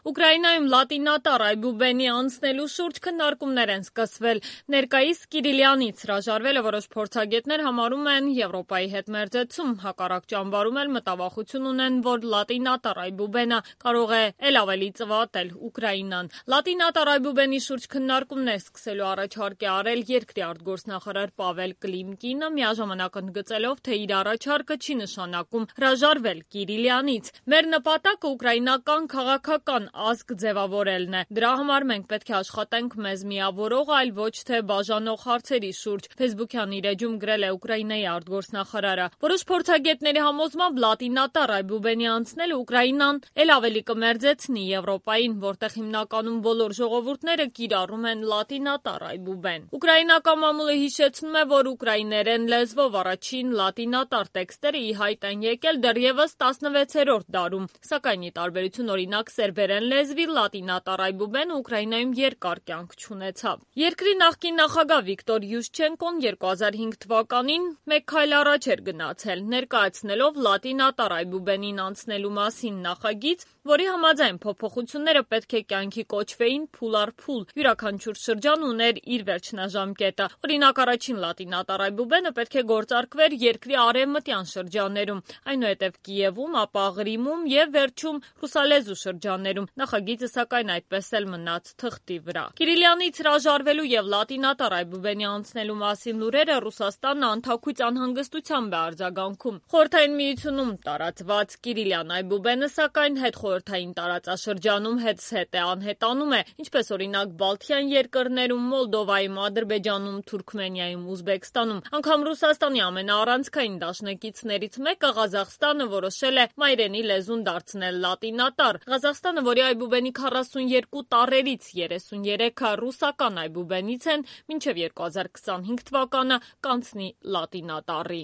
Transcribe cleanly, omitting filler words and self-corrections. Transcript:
Ուկրաինայում լատինատար այբուբենի անցնելու շուրջ քննարկումներ են սկսվել։ Ներկայիս Կիրիլյանից հրաժարվելը որոշ փորձագետներ համարում են Եվրոպայի հետ մերձեցում, հակառակ ճամբարում էլ մտավախություն ունեն, որ լատինատար այբուբենը կարող է էլ ավելի ծվատել Ուկրաինան։ Լատինատար այբուբենի շուրջ քննարկումներ սկսելու առաջարկ է արել երկրի արտգործնախարար Պավել Կլիմկինը, միաժամանակ ընդգծելով, թե իր առաջարկը չի նշանակում հրաժարվել Կիրիլյանից։ Մեր նպատակը ուկրաինական քաղաքական ազգ ձևավորելն է։ Դրա համար մենք պետք է աշխատենք մեզ միավորող, այլ ոչ թե բաժանող հարցերի շուրջ, Facebook-յան իր էջում գրել է Ուկրաինայի արտգործնախարարը։ Որոշ փորձագետների համոզմամբ լատինատար այբուբենի անցնելը Ուկրաինան էլ ավելի կմերձեցնի Եվրոպային, որտեղ հիմնականում բոլոր ժողովուրդները կիրառում են լատինատար այբուբեն։ Ուկրաինական մամուլը հիշեցնում է, որ ուկրաիներեն լեզվով առաջին լատինատար տեքստերը ի հայտ են եկել դեռևս 16-րդ դարում, սակայն ի տարբերություն օրինակ սերբերեն լեզվի լատինատար այբուբենը Ուկրաինայում երկար կյանք չունեցավ։ Երկրի նախկին նախագահ Վիկտոր Յուշչենկոն 2005 թվականին մեկ քայլ առաջ էր գնացել, ներկայացնելով լատինատար այբուբենին անցնելու մասին նախագիծ, որի համաձայն փոփոխությունները պետք է կյանքի կոչվեին փուլ առ փուլ։ Յուրաքանչյուր շրջան ուներ իր վերջնաժամկետը։ Օրինակ առաջին լատինատար այբուբենը պետք է գործարկվեր երկրի արևմտյան շրջաններում, այնուհետև Կիևում, ապա Ղրիմում եւ վերջում ռուսալեզու շրջաններում։ Նախագիծը սակայն այդպես էլ մնաց թղթի վրա։ Կիրիլյանից հրաժարվելու եւ լատինատար այբուբենի անցնելու մասին լուրերը Ռուսաստանը անթաքույց անհանգստությամբ է արձագանքում։ Խորհրդային Միությունում տարածված Կիրիլյան այբուբենը սակայն հետխորհրդային տարածաշրջանում հետզհետե անհետանում է, ինչպես օրինակ Բալթյան երկրներում, Մոլդովայում, Ադրբեջանում, Թուրքմենիայում, Ուզբեկստանում։ Անգամ Ռուսաստանի ամենաառանցքային դաշնակիցներից մեկը Ղազախստանը որոշել է մայրենի լեզուն դարձնել լատինատար։ Ղազախստանը, որի այբուբենի 42 տարրերից 33-ը ռուսական այբուբենից են, մինչև 2025 թվականը կանցնի լատինատառի։